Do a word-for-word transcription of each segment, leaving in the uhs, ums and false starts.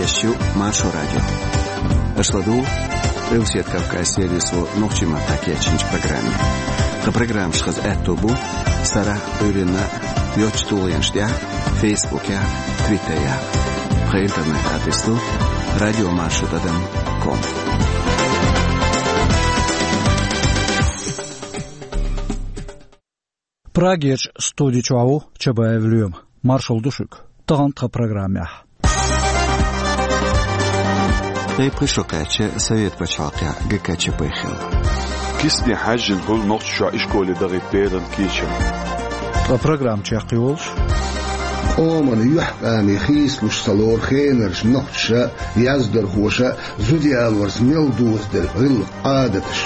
Шу Маршо радио. Аша ладугӀу Къилбаседа Кавказ сервисо нохчийн маттахь кечйинчу программе. Тхан программаш хаза аьтто бу сарахь а, Ӏуьйранна а йоцчу тулгӀенаш тӀехь а, Фейсбукехь а, Твиттерехь а. Тхан интернет-адрес ду радио маршо тӀадам ком. Прагерчу студи чохь ву Чабаев Лоьма. Маршалла ду шуьга. Тахана тхан программехь. Ткъе пхи шо кхаьчча Совет пачхьалкхехь ГКЧП хилла. Кисане хьаьжжина хуьлу Нохчийчохь ишколе дахийта беран кечам. Ткъа программа чекхйолуш. Къоман юьхькӀаме хийцалуш ца лору хенарчу нохчаша а, яздархоша а зуда ялорца мел дозаделла гӀиллакх, Ӏадаташ.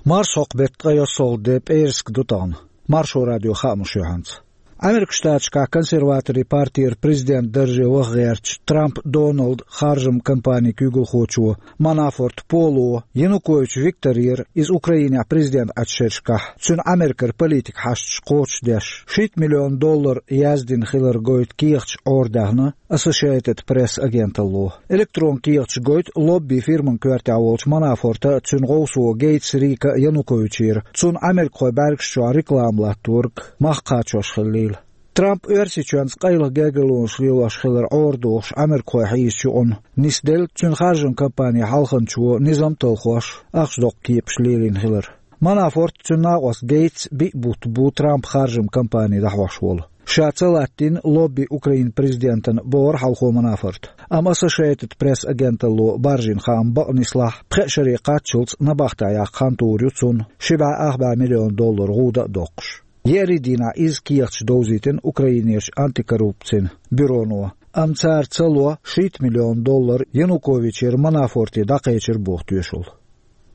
Марсхьокху беттан ткъе ялхалгӀа де, пӀераска ду тахана. Маршо радион хаамаш ю хьанца. Ӏамеркан Штаташкахь консерваторийн партера президентан дарже ваха гӀертачу Трамп Доналдан харжаман компанин куьйгалхочо Манафорт Поло Янукович Викторера, иза Украинехь президент Ӏачу шерашкахь, цуьнан Ӏамеркара политика хьашташ кхочушдеш, шийтта миллион доллар яздина хилар гойту кехаташ Ӏорадаьхна Associated Press агенталло. Электрон кехаташ гойту лобби-фирман коьртехь волчу Манафорта а, цуьнан гӀовсо Гейтс Рика а Януковичера, цунна Ӏамеркахойн бӀаьргаш чохь реклама латториг мах кхачош хиллийла. Трамп Оьрсийчоьнца къайлаха гергарлонаш лелош хилар Ӏорадохуш Ӏамеркахой хьийзачу юкъана нисделла цуьнан харжаман компанин хьалханчо низам а талхош, ахча доккху кепаш лелийна хилар. Манафорт а, цуьнан накъост Гейтс а биъ бутт бу Трампан харжаман компани дӀахьош волу. Ша ца латтийна лобби Украинан президентана, бохура хьалхо Манафорта. Амма Associated Press агенталло баржийна хаам бакъ нислахь, пхеа шаре кхаччалц набахтехь яккха хан тухур ю цунна, ши бӀе ах бӀе миллион доллар гӀуда а доккхуш. Еарин дийнахь изза кехаташ довзийтина Украинерчу антикоррупцин бюроно, амма цара ца ло шийтта миллион доллар Януковичера Манафорте дӀакхечира боху тоьшалла.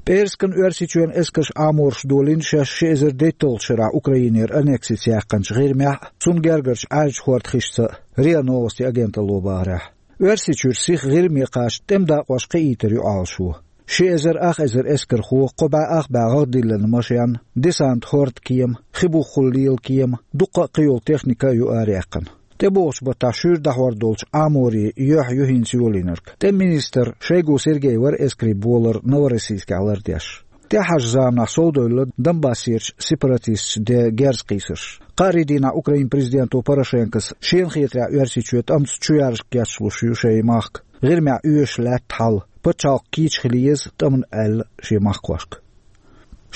ПӀераскан Оьрсийчоьнан эскарша Ӏамораш долийна шаьш ши эзар дейтталгӀачу шарахь Украинера аннексица яьккхинчу ГӀирмехь а, цунна гергарчу Ӏаьржачу хӀордан хишца, РИА Новости агенталло бахарехь. Оьрсийчуьра сиха ГӀирме кхача тӀеман дакъош кхиийтар ю Ӏалашо. Ши эзар ах эзар эскархо, кхо бӀе ах бӀе гӀагӀ диллина машен, десант хӀордан кема, хи буххула лела кема, дуккха а кхийолу техника а ю араяккхина. ТӀебогӀучу баттахь шуьйра дӀахьор долчу Ӏаморийн юьхь ю хӀинца йолийнарг. ТӀеман министр Шойгу Сергей вара эскарийн болар Новороссийскехь лардеш. ТӀаьхьарчу заманахь совдевлла Донбассерчу сепаратисташна ден герз кхийсарш. Кхаарин дийнахь Украинан президенто Порошенкос шена хетарехь Оьрсийчоь тӀамца чу яржа кечлуш ю шайн махка, ГӀирмехь оьшуш лаьтта хьал, пачхьалкх кийча хила еза тӀамна аьлла шен махкахошка.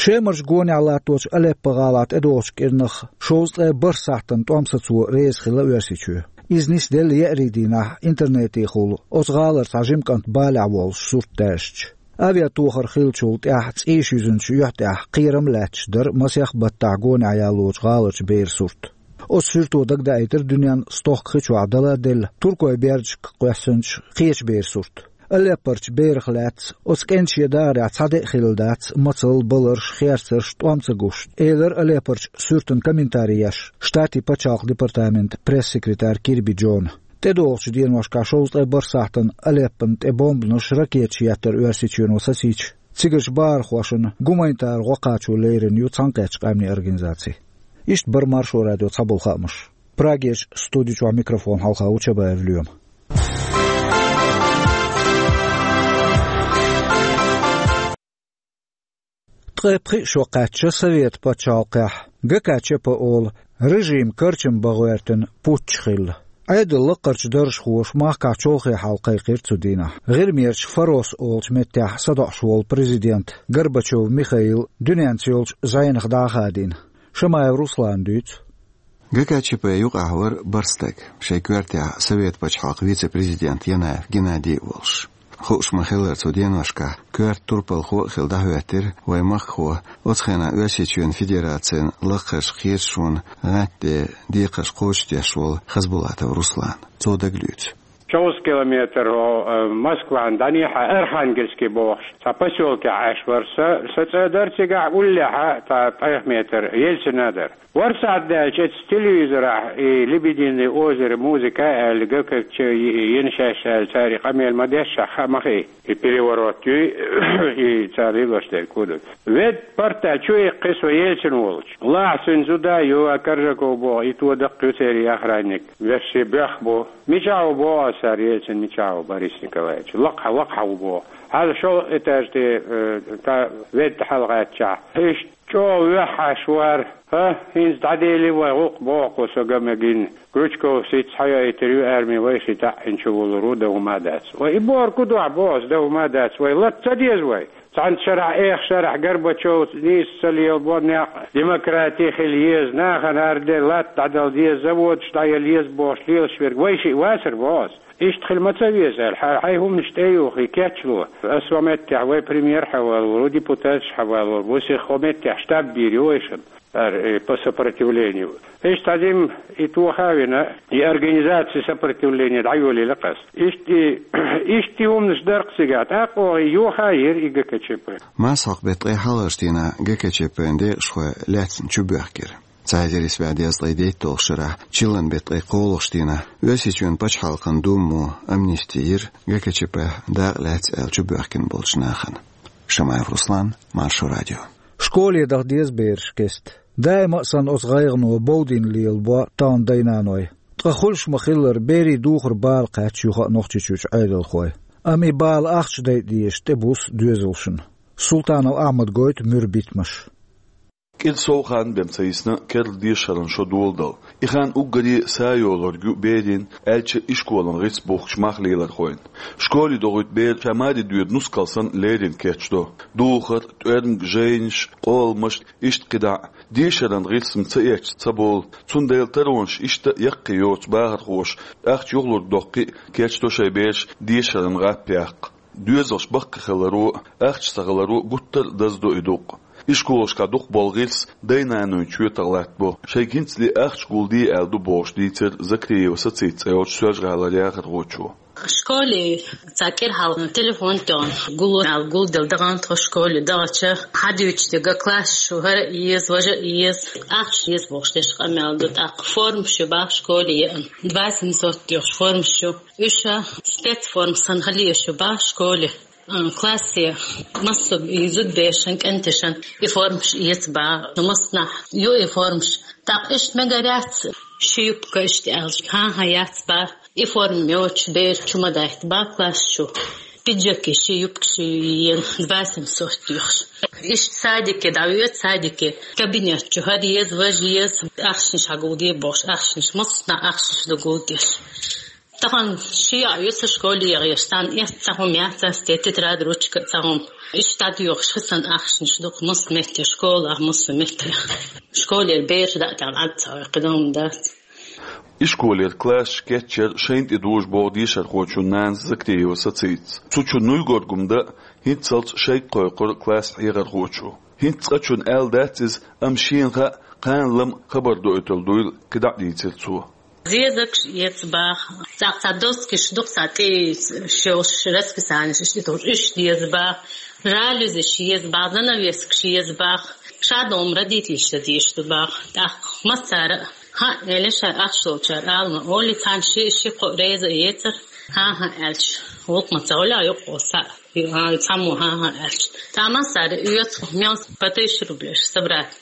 Шемарчу гонехь латточу Алеппо-гӀалахь тӀедогӀучу кӀирнах шовзткъе бархӀ сахьтана тӀом сацо реза хилла Оьрсийчоь. Иза нисделла еарин дийнахь интернетехула оцу гӀалара цхьа жима кӀант балехь воллуш сурт даьшча. Авиатохар хиллачул тӀаьхьа цӀийш юьзначу юьхь тӀехь кхерам а лаьтташ дара масех баттахь гонехь ялочу гӀаларчу беран сурт. Оцу суьрто дагадаийтира дуьненна стохка хи чохь дала а делла, туркойн бердашка кхоьссинчу кхечу беран сурт. Алеппарчу берах лаьцна, оцу кӀентан шен дахарехь цхьа де а хилла дац мацалла, баларш, херцарш тӀом ца гуш, элира Алеппарчу суьртана комментари еш Штатийн пачхьалкхан департаментан пресс-секретарь Кирби Джона. ТӀедогӀучу деношкахь шовзткъе бархӀ сахьтана Алеппона тӀе бомбанаш, ракеташ еттара Оьрсийчоьно сацийча, цигарчу бахархошна гуманитар гӀо кхачо лерина ю Цхьаьнакхеттачу Къаьмнийн Организаци. Иштта бара Маршо радион цхьаболу хаамаш. Прагерчу студи чохь микрофон хьалха ву Чабаев Лоьма. Ткъе пхи шо кхаьчча Совет пачхьалкхехь ГКЧП олу режим карчам бан гӀоьртина путч хилла. Ӏедалан лакхарчу даржхоша махкахь чолхе хьал кхайкхира цу дийнахь. ГӀирмерчу Фарос олучу меттехь садоӀуш волу президент Горбачев Михаил дуьненца йолчу зӀенах дӀа а хадийна. Шамаев Руслана дуьйцу. ГКЧП юкъахь вара бархӀ стаг, шайн коьртехь Совет пачхьалкхан вице-президент Янаев Геннадий а волуш. Хууш ма-хиллара, цу деношкахь коьрта турпалхо а хилла дӀахӀоьттира вайн махкахо, оцу хенахь Оьрсийчоьнан Федерацин лакхарчу кхеташонан гӀаттаде декхарш кхочушдеш волу Хасбулатов Руслан. Цо дагалоьцу. Шовзткъа километр, о, э, Москван дӀанехьа Архангельский бохуш, цхьа посёлке Ӏаш вара са, са цӀа дара цигахь, уллехьа, цхьа ткъех метр Ельцина дара. Вара сахьт даьлча, эцу телевизорахь и «Лебединое озеро» музыка аьлла, ГКЧП йина шаьш аьлла, цара и къамел ма дешшехь, хаа ма хии. И переворот юй, и цара лелош дерг хӀун ду. Ведда парта чу иккхи со Ельцин волчу. Лахьа цуьнан зуда ю, а Коржаков боху, и то даккха ю церан охранник. Вешший боьх бу. Мичахь ву боху аса цара, Ельцин мичахь ву, Борис Николаевич? Лакхахьа, лакхахьа ву боху. Хьала шолгӀа этаж тӀе, э, та Ведда хьалагӀаьттичахь. Иштта чӀогӀа вехьаш вара. ХӀа, хӀинца дӀаделира вай гӀуллакх боху со ган мегина. Крючков сица хьайойтур ю арми, вай ши таӀина чу вулур ву, дан хӀума а дац. Вай и бохург хӀун ду ахь боху аса, дан хӀума а дац. Вай латта ца деза вай? Цхьана шарахь, эха шарахь Горбачёв нийса ца лелабо, некъ демократи хила еза, нахана хӀара де латта дӀадала деза, заводаш дӀаяла еза бохуш лелаш верг вай шиъ вацара боху аса. Иштта хила ма ца веза аьлла, хьайн хӀуманаш тӀе а юхий, кечло. Аса хӀокху меттехь вай премьер хьавалор ву, депутаташ хьавалор ву, сиха хӀокху меттехь штаб бийр ю вайшинна. Ара, э, по сопротивлению. Иштта хьадим и тоха а вина, и организация сопротивления дӀайолийла ас. Иштта и, иштта и хӀуманаш дара-кх цигахь, тӀаккха оха и йоха а йира и ГКЧП. Масхьокху беттан ткъе хьалхарчу дийнахь ГКЧП-н декъашхой лаьцна чубоьхкира. Цхьа эзар исс бӀе дезткъе дейтталгӀачу шарахь, чиллан беттан ткъе кхоалгӀачу дийнахь, Оьрсийчоьнан пачхьалкхан Думо амнисти йира ГКЧП-х дакъа лаьцна аьлла чубоьхкина болчу нахана. Шамаев Руслан, Маршо радио. Школе даха деза бераш кеста. Даима а санна оцу гӀайгӀано бовдийна лелабо тахана дай-наной. Ткъа хуьлуш ма-хиллара, берийн духар бала кхаьчна юха а Нохчийчуьрчу Ӏедалхой. Амма и бала ахча дайта дезаш тӀебуссу доьзалшна. Султанов Ахьмада гойту муьра битамаш. КӀира сов хан бен ца йисна керла дешаран шо доладала. И хан уггаре а са йолург ю берийн, аьлча, ишколан гӀирс бухкучу мах лелархойн. Школе дохуьйту бер ша маре доьду нускал санна леррина кечдо. Духар, тӀоьрмаг, жайнаш, къоламаш, иштта кхидӀа а. Дешаран гӀирс-м ца эцча ца болу, цундела таронаш иштта а яккхий йоцу бахархоша, ахча юхалург доккхий а, кечдо шайн бераш дешаран гӀап яккха. Доьзалш баккхий хиларо а, ахча ца хиларо а гуттар а даздо и дукъ. Ишколашкахь дукхахболу гӀирс дай-наной чоьтах латтабо. Шайга хӀинцале ахча гулде аьлла ду бохуш дийцира Закриева Сацита цӀе йолчу Соьлжа-ГӀалара яхархочо. Школе цхьа кӀира хьалха телефон тоьхна, гуло аьлла гулделла дахана тхо школе дахча, хьадуьйцуш дерг класс чу хӀара а еза, важа а еза, ахча еза бохуш деш къамел ду. ТӀаккха формаш ю баха школе еана. Два семьсот йохуш формаш ю. Уьш спецформа санна хила езаш ю баха школе. А, классе массо а и зудаберашан, кӀенташан и формаш эца баха, массанхьа ю и формаш. ТӀаккха иштта мегар яц, ши юбка иштта аьлча, хӀан-хӀа, яц баха. И форма йоцуш бер чу ма даьхьа баха класс чу. Пиджаки ши, юбкаши йина, два семьсот йохуш. Иштта садике дӀавоьду, садике кабинет чу хӀара еза, важа еза, ахчанаш хьагулде бохуш, ахчанаш, массанхьа ахчанаш ду гулдеш. Тахана ши йоӀ ю сан школе яхъеш, царна эцна цхьа хӀума яц ас те, тетрадь, ручка, цхьа хӀума. Иштта дӀадоьхуш хи сан ахчанаш ду-кх массо а метте, школахь, массо а метте. Школера бераш даа тӀехь Ӏад ца хьой, кхидӀа хӀума дац. Ишколера классаш кечъяр шайна тӀе дужу боху дешархочун нанас Закриева Сацица. Цу чу нуй горгум дан а, хӀинццалц шайга кхойкхура классан хьехархочо. ХӀинца цкъачунна аьлла дац иза, амма шена хаьа, кхана лам хабар доуьйтур дуйла, кхидӀа а дийцира цо. Зезагаш эца баха. ЦӀаккха цхьа доскаш ду-кх, цхьа тӀе йолуш расписанеш иштта тхуна, уьш деза баха. Жалюзиш еза баха, занавескаш еза баха. Ша догӀум родительша дезаш ду баха. ТӀаккха массара а, хӀаъ, элира, шайн ахча долчара ала ма олий, цхьана ши, ши-кхоъ реза а эцара, хӀан-хӀа аьлча, гӀуллакх ма ца хуьлу, юкъа схьа. Ю-, а, цхьаммо хӀан-хӀа аьлча. Цхьа массара оьцу, мел по тысяче рублей собрать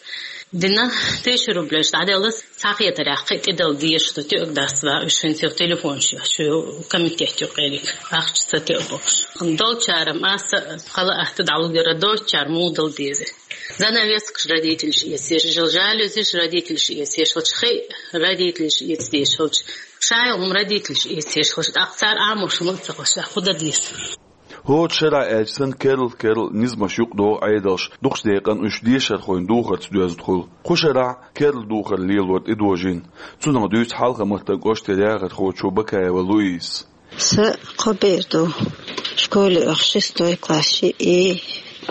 дина, тысяча рублей дӀаделла, цхьа хетарехь кхин а тӀедала дезаш ду, тоьуг дац баха уьш, хӀинца телефонаш ю, шу комитет ю къериг, ахча ца тоьу бохуш. Долчара-м аса хала атта дӀалугара, долчара муха дала деза. Занавескаш родительша эцаш, жалюзиш родительша эцаш хилча, хи а родительша эца дезаш хилча, шайн хӀума родительша эцаш хилча, тӀаккха цара Ӏамош хӀума а ца хуьлуш, хӀун дан деза? ХӀора шарахь аьлча санна, керла-керла низамаш юкъадогӀу Ӏедалша, дукхачу декъана уьш дешархойн духарца доьзна хуьлу. Кху шарахь керла духар лелор тӀедожийна. Цунах дуьйцу Хьалха-Мартан кӀоштара яхархочо Бакаева Луизас. Сан кхо бер ду. Школе оха шестой класс шиъ и,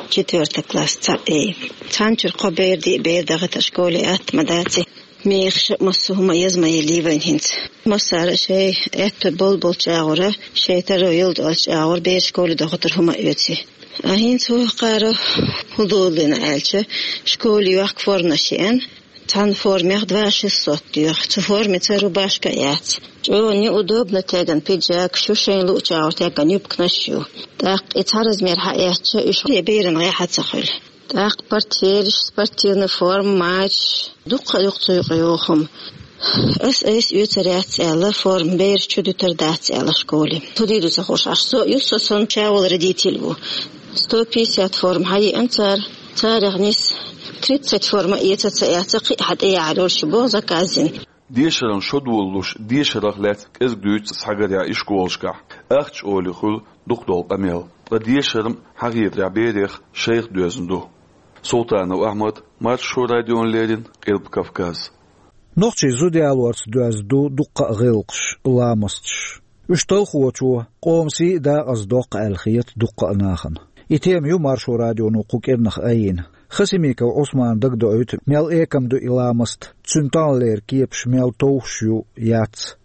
четвёртый класс цхьаъ и. Цхьана чуьра кхо бер, диъ бер дахийтар школе атта ма дац и. Мехаш а, массо а хӀума а еза ма елий вайна хӀинца. Массара а шоай аьтто болаболча агӀора, шоай таро йолча агӀора бераш школе дохуьйтур хӀума а оьций. А хӀинца вокхара хӀун долийна аьлча, школе йохка форманаш еана, цхьана формех два шестьсот доьху, цу формеца рубашка а яц. ЧӀогӀа неудобно теган пиджакаш ю, шайна лууча агӀора теган юбканаш ю. ТӀаккха и цхьа размер хьаэцча, уьш берана гӀехьа ца хуьлу. ТӀаккха портфелаш, спортивная форма, мачаш, дуккха а дукха цу юкъа йогӀу хӀума. Ас айса оьцур яц аьлла, форма бераш чу дуьтур дац аьлла школе. Цу дийр ду ца хууш Ӏаш. Со а ю, со сонта чавал родитель ву. Сто пятьдесят форма хьаеана цара, царех нийса тридцать форма эца ца эца, кхин а хьа тӀеяхьар йолуш ю боху заказ дина. Дешаран шо долалуш, дешарах лаьцна кӀезиг дуьйцу схьагарехь и школашкахь. Ахча олий хуьлу дукха долу къамел. Ткъа дешар-м хьахетарехь берех шайх доьзна ду. Султанов Ахьмад, Маршо радиона леррина, Къилба Кавказ. Нохчий зуда ялорца доьзна ду дуккха а гӀиллакхаш, ламасташ. Уьш талхочо къоман сий а дакъаза доккху аьлла хета дуккха а нахана. И тема ю Маршо радионо кху кӀирнах айина. Хасимиков Ӏусмана дагадоуьйту, мел экам ду и ламаст, цуьнан тахналера кепаш мел товш ю, яц.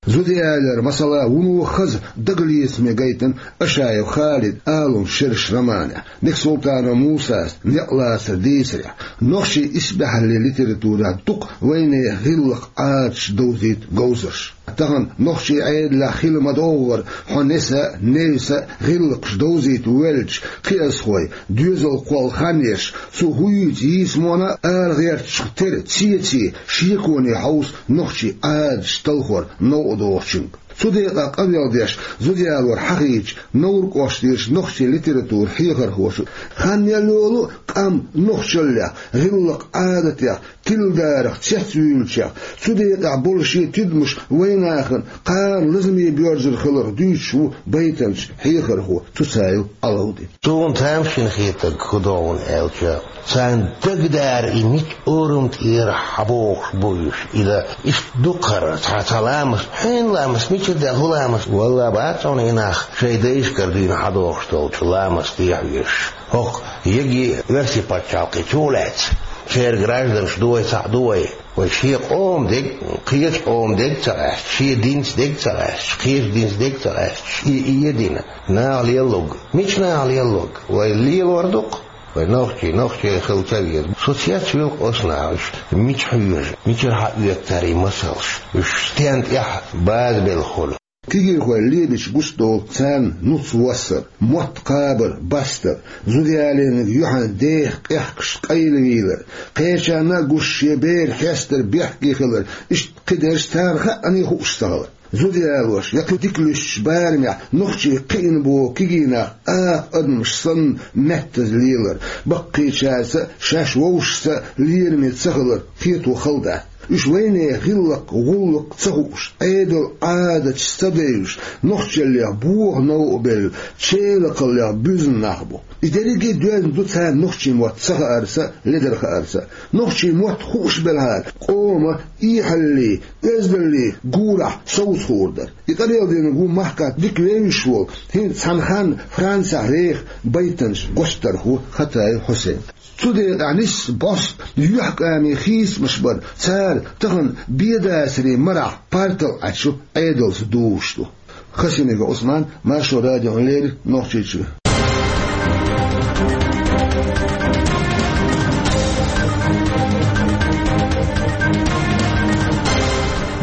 Зуда ялор, масала, вуно хаза дагалецаме гайтина Ашаев Халидан «Алун шераш» романехь, Бексултанов Мусас «Некъ лацар дийцарехь». Нохчийн исбаьхьаллин литературехь дукха вайнехан гӀиллакх, Ӏадаташ довзийта говзарш. Тахана нохчийн Ӏедалехь хила ма-догӀу хӀара, хьо неса а, невса а гӀиллакхаш довзийта воьллачу кхиазхойн доьзал кхолла хан еш, цу хӀуьйца йийцамонан а ала гӀертачух тера цеций шеконе хьовса нохчийн Ӏадаташ талхор новкъа догӀучуьнга. Цу декъехь къамел деш, зуда ялор хьахийча, Невран кӀоштара нохчийн литературан хьехархоша, хан мел йолу а къам нохчаллех, гӀиллакх-Ӏадатех, тиладарах цецвуьйлучех, цу декъехь болу шен тидамаш вайнахана кхана лазаме боьрзур хиларх дуьйцуш ву байтанча хьехархо Цуцаев Ӏалавди. Суна тамашийна хетарг хӀун ду хьуна аьлча, царна дагадара и мича орам тӀера хьабогӀуш бу уьш. И дан иштта ду-кх хӀара, цхьа, цхьа ламаст, хьенан ламаст, мичара даьлла хӀун ламаст? Валлахь, бац хьуна и нах шайн дайшкара дуьйна хьадогӀуш долчу ламасте хьоьжуш. ХӀокху йиги оьрсийн пачхьалкхе чу лаьцна, церан гражданаш ду вай, цхьаъ ду вай. Вай шен къоман дерг, кхечу къоман дерг ца къаьсташ, шен динца дерг ца къаьсташ, кхечу динца дерг ца къаьсташ, и, и а дина, наха лелларг. Мича наха лелларг? Вай лелор ду-кх. Вай нохчий, нохчий хила ца веза. Со цецвилла-кх оцу наха, уьш мича хьоьжу, мичара хьаоьцу цара и масалш, уьш стенна тӀехь базбелла хуьлу. Кегийрхой лебича гучудолу царна нуц воссар, мотт кхабар, бастар, зуда ялийнарг юьхьанца деха къехкаш къайлавийлар, кхечарна а гуш шен бер хьестар бехке хилар, иштта кхидерш царна хаъане хууш ца хилар. Зуда ялош я кхин дика луьстучу барамехь нохчий кхиъна боху кегий нах акха адамаш санна меттаза лелар, баккхийчаьрца а, шаьш вовшашца а лераме ца хилар кхето хала дац. Уьш вайнехан гӀиллакх, гӀуллакх ца хууш, Ӏедал, Ӏадаташ ца девзаш, нохчаллех бохо новкъа белла, челакхаллех буьзна нах бу. И дерриге а доьзна ду царна нохчийн мотт ца хаарца а, ледара хаарца а. Нохчийн мотт хууш белахьара, къоман эхьаллин, оьздаллин гурахь совца хуур дара. И къамел динарг ву махкахь дика вевзаш волу, хӀинца цхьана ханна Францехь реха байтанча гочдархо Хатаев Хьусейн. Цу декъехь нисса бӀоста юьхькӀамийн хийцамаш бара, цара тахана бен дацарийн марахь партал Ӏачу Ӏедалца дузуш ду. Хасимиков Ӏусман, Маршо радиона леррина, Нохчийчоь.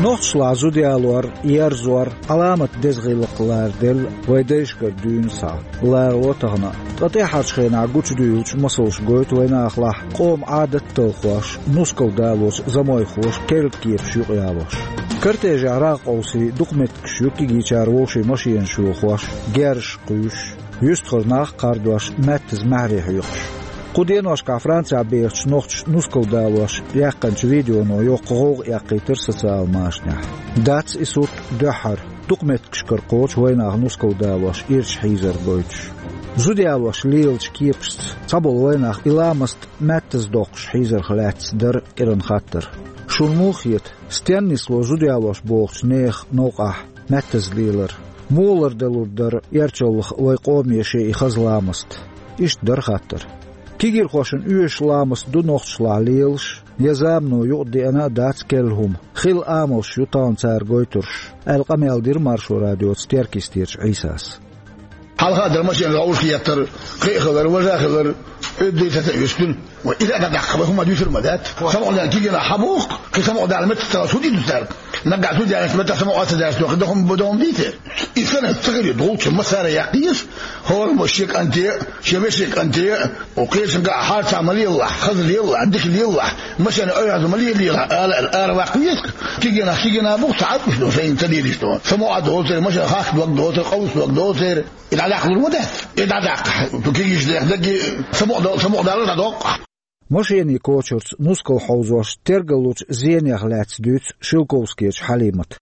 Нохчашлахь зуда ялор, ерзор, Ӏаламат деза гӀиллакх лараделла вайн дайшкара дуьйна схьа. Ларало тахана а. Ткъа тӀаьххьарчу хенахь гучудуьйлучу масалш гойту вайнахалахь къоман Ӏадат талхош, нускал далочу замойхоша керла кепаш юкъаялош. Кортежехь рагӀ къовсий дукха меттигаш ю кегийчара вовшийн машенаш йохош, герзаш кхуьйсуш, юьстахара нах а кхардош, маьттаза маьхьарий хьоькхуш. Кху деношкахь Францехь бехачу нохчаша нускал далош яьккхинчу видеоно йоккха гӀовгӀа эккхийтира социалан машанехь. Дац и сурт дуьххьара, дукха меттигашкара кхочу вайнах нускал далош ирча хьийзар гойтуш. Зуда ялош лелачу кепашца цхьаболу вайнах и ламаст маьттаза доккхуш хьийзарх лаьцна дара кӀиран хаттар. Шуна муха хета, стенна нисло зуда ялош бохучу нехан новкъахь маьттаза лелар? Муха ларделур дара эрчаллах вайн къоме шен и хаза ламаст? Иштта дара хаттар. Кегийрхошна оьшуш ламаст ду нохчашлахь лелаш, Я замано юкъадеана а дац керла хӀума, хилла амалш ю тахана цара гойтурш, аьлла къамел дира Маршо радиоца Теркйистерчу Ӏийсас. Хьалха а дара машенаш гӀовшах еттар, кхин а хилар, важа а хилар, оьзда дийца а юьстина. Вай, иза а дӀадаккха, вай хӀума дуьсур ма дац. Самукъадаьлла кигина хьабоху, кхин самукъадаьлла меттах ца хӀу ди ду цаьрга? Наггахь зуда яьлча меттах самукъа ца даьлча, кхин дан хӀума бу дан хӀума дийте? И санна ца хир ю, догӀучу массара а яккхийша, хӀораммо шен кӀанте а, шен вешин кӀанте а, о, кхечуьнга а хьарца ма лелалахь, хаза лелалахь, дика лелалахь, машен ойхьаза ма лелалахь, ала аьлла, ара ваккха веза-кх. Кигина, кигина бу-кх, ца Ӏадуьтуш ду, шайна ца дийраш ду. Самукъа доцур, машен хахка дог доцур, къовса дог доцур. И дӀадаккха лур ма дац. И дӀадаккха. Цу кегийчу дех дагге самукъадал-, самукъадалар дӀадоккху. Машенийн кочарца нускал хьовзош тергаллучу зенех лаьцна дуьйцу Шелковскечу Хьалимата.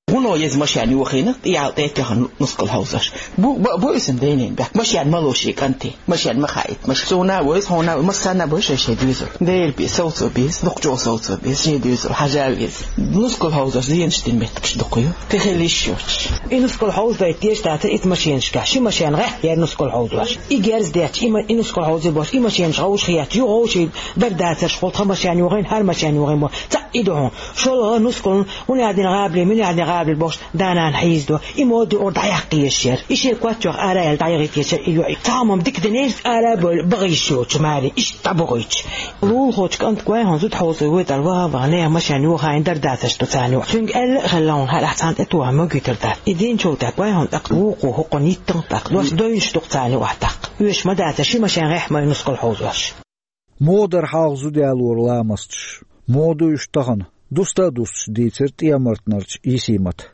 ХӀунда еза машен йохийна, тӀехьа тӀе а тоьхна нускал хьовзош? Бу, бу, бу иза дайнин бехк. Машен ма ло шен кӀанте. Машен ма хаийта. Маш-, суна а войза, хьуна а, массарна а бой шай-шай доьзал. Дера бен, совцо беза, дукхачу совцо беза, шен доьзал хьажа а веза. Нускал хьовзош зенаш дина меттигаш дукха ю. Кхин хила йиш йоцуш. И нускал хьовзадайта дезаш дацара иза машенашкахь. Ши машен гӀехь яра нускал хьовзош. И герз детташ, и ма-, и нускал хьовзий бохуш, и машенаш гӀовшах етташ, ю гӀовший дар дацарш хӀокху тхан машен йохийна, хӀара машен йохийна боху. Цхьаъ и ду хьуна. ШолгӀа нускална, хӀунда яздина гӀабали, муьлха яздина гӀабали бохуш, да-нана хьийзадо. И моду ора дӀаяккха езаш яра. И шен коч йоха ара аьлла дӀаяхийта езаш яра и йоӀ. Цхьа хӀума дика дина иза ара а бевлла, бахийша йоцуш маре, иштта дӀабахийташ. Лулахочу кӀанта гой хьуна зуда хьовзо вуьйтур ваха а ваха, нехан машен йохийна дар дацарш ду царна юкъахь. Цуьнга аьлла а хилла хьуна, хӀара ахь цхьаьна тӀетоха могуьйтур дац. И динчул тӀаьхьа гой хьуна тӀаккха вукхо хӀокхунна йиттанга тӀаккха, дош дойнаш ду-кх царна юкъахь тӀаккха. Оьшуш ма дацара ши машен гӀехь ма ю нускал хьовзош. Муха дара хьалха зуда ялоран ламасташ? Муха ду уьш тахана? Дуста а дустуш дийцира ТӀемартанарчу Йисимата.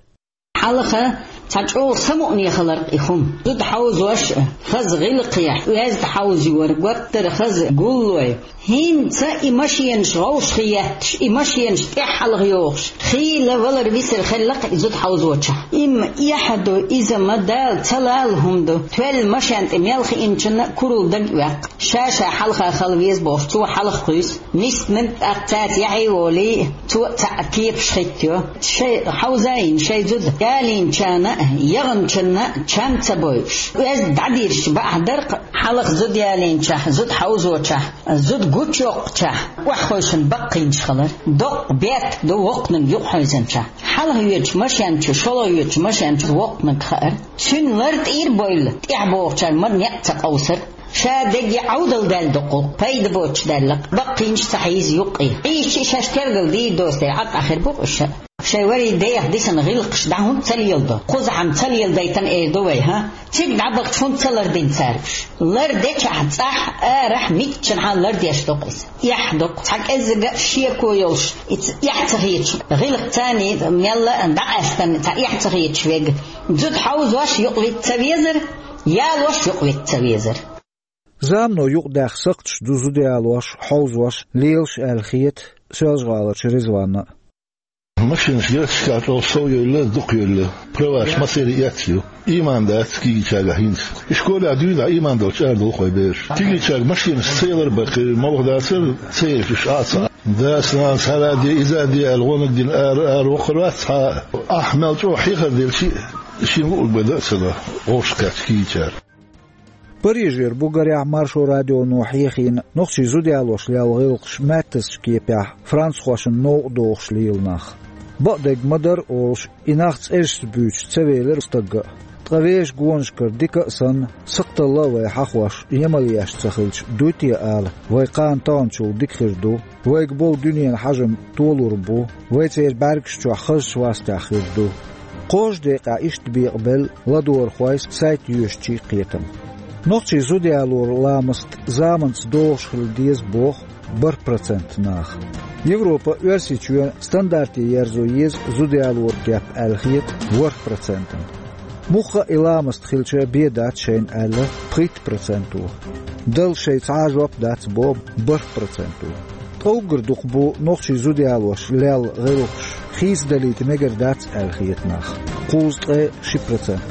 Хьалха цхьа чӀогӀа самукъане хилар-кх и хӀума. Зуда хьовзош а, хаза гӀиллакхехь, оьзда хьовзор, гуттар а хаза гуллой. ХӀинца и машенаш гӀовшах етташ, и машенаш тӀаьхьа-хьалха йохуш, хийла валар-висар хилла-кх и зуда хьовзочохь. Имма эхь а ду, иза ма Дала ца лала хӀума ду, тоьлла машен тӀе мел хиъначунна а куралла дага а ваьккха. Ша-ша хьалха хила веза бохуш, цо хьалха кхуьйсу. Нисдинарг тӀаккха цаьрца яхье а волий, цо а цхьаъ кепаш хӀиттайо. Шайн хьовзийна шайн зуда ялийначарна а, яханчунна а чам ца бойуш. Оьзда дӀадийраш бакъахь дара-кх, хьалха зуда ялийначохь, зуда хьовзочохь, зуда гучуйоккхучохь, охьахевшина баккхийнаш хилар. Доккха бетта ду воккханиг юкъахьевзинчохь. Хьалха йоьдучу машен чу, шолгӀа йоьдучу машен чу воккханиг хаар. Цуьнан лар тӀера а бевлла, тӀаьхьа богӀучара мара некъ ца къовсар. Ша дегге Ӏовдал даьлла ду-кх, пайда боцуш даьлла-кх, баккхийнаш ца хьийза юккъе. Ӏийча а шаьш тергал дийр доцу дела, Ӏа къахьар бу-кх уьш. Шайн вари дех дисина гӀиллакхаш дӀа хӀунда ца леладо? Кхузахь-м ца леладайтина эр ду вай, хӀа? Цига дӀабахча хӀунда ца лардина цара уьш? Лардечохь цӀахь, арахь, миччанхьа лардеш ду-кх иза. Эхь ду-кх, цхьа кӀеззига а шеко йолуш, и ц-, эхь ца хеташ, гӀиллакх царний мелла а дӀакъаьстина, цхьа эхь ца хеташ верг. Зуда хьовзош юкъавита ца везара, ялош юкъавита ца везара. Замано юкъадаьхна сакхташ ду зуда ялош, хьовзош, лелаш аьлла хета Соьлжа-ГӀаларчу Ризванна а. Машинаш герзашкахь чӀогӀа сов йевлла, дукха йевлла. Праваш массеран а эцна ю. Ийман дац кегийчаьргахь хӀинца. И школехь дуьйна дӀа ийман долчу арадолу кхой бераш. Кегийчаьрга машинаш ца ялар баккхий, молха дацара, ца еш уьш а ца. Дас-нанас хӀара а де, иза а де аьлла, гӀонаг дина ара, ара воккхур вац цхьа а. Ахь мел чӀогӀа хьехар делчи а, шен луург бен дан а ца до, вовшах кхаьчча кийчара. Парижера бу, гарехь, Маршо радионо хьехийна нохчий зуда ялош лелла гӀиллакхаш маьттазчу кепехь, францхошна новкъа дохуш лела нах. Бакъдерг ма-дарра олуш, и нах цӀерашца буьйцуш ца велира стагга а. Ткъа вешан гонашкара дика а санна, сакхталла а вай хьахош, емал еш ца хилча, дуй те ала, вай кхана таханчул дика хир ду, вайга болу дуьненан хьажам толур бу, вай церан бӀаьргаш чохь хазачу вастехь хир ду. Кхозза декъехь иштта бекъабелла ладогӀархойн сайт йоьшучийн кхетам. Нохчий зуда ялоран ламаст заманца догӀуш хила деза боху бархӀ процент наха. Европа, Оьрсийчоьнан стандарте ерзо еза зуда ялоран кеп аьлла хета ворхӀ процентана. Мухха а и ламаст хилча бен дац шайна аьлла пхийтта проценто. Далла шайн цхьа а жоп дац боху бархӀ проценто. Ткъа уггар дукха бу нохчий зуда ялош лелла гӀиллакхаш, хийцадалийта мегар дац аьлла хета нах, кхузткъе ши процент.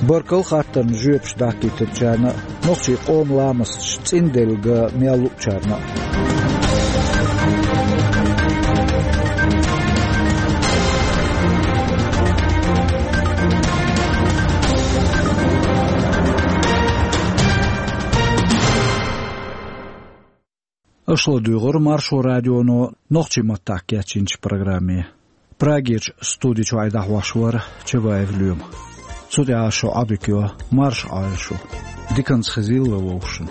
Баркалла хаттарна жоьпаш дӀахкийтинчарна а, нохчийн къоман ламасташ цӀинделла ган мел луучарна а. Аша ладугӀура Маршо радионо нохчийн маттахь кечйинчу программе. Прагерчу студи чохь и дӀахьош вара Чабаев Лоьма. Цу тӀехь шун Ӏадика йо, марша Ӏойла шу. Диканца хезийла вовшашна.